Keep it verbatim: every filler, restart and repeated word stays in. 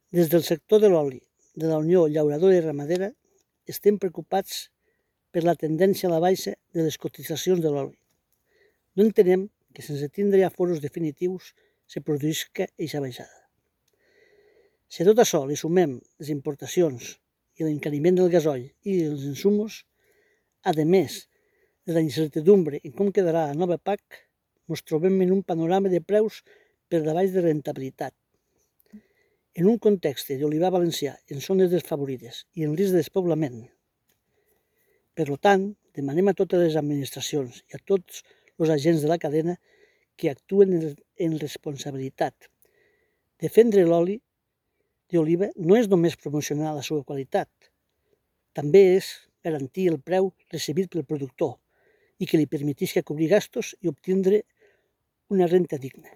Des del sector de l'oli de la Unió Llauradora i Ramadera estem preocupats per la tendència a la baixa de les cotitzacions de l'oli. No entenem que sense tindre ja foros definitius se produïsca aquesta baixada. Si a tot això li sumem les importacions i l'encariment del gasoil i els insumos, a més de la incertidumbre en com quedarà la nova P A C, ens trobem en un panorama de preus per davall de rentabilitat. En un context d'olivar valencià en zones desfavorides i en risc de despoblament. Per tant, demanem a totes les administracions i a tots els agents de la cadena que actuen en responsabilitat. Defendre l'oli d'oliva no és només promocionar la seva qualitat, també és garantir el preu recebit pel productor i que li permetisca cobrir gastos i obtindre una renta digna.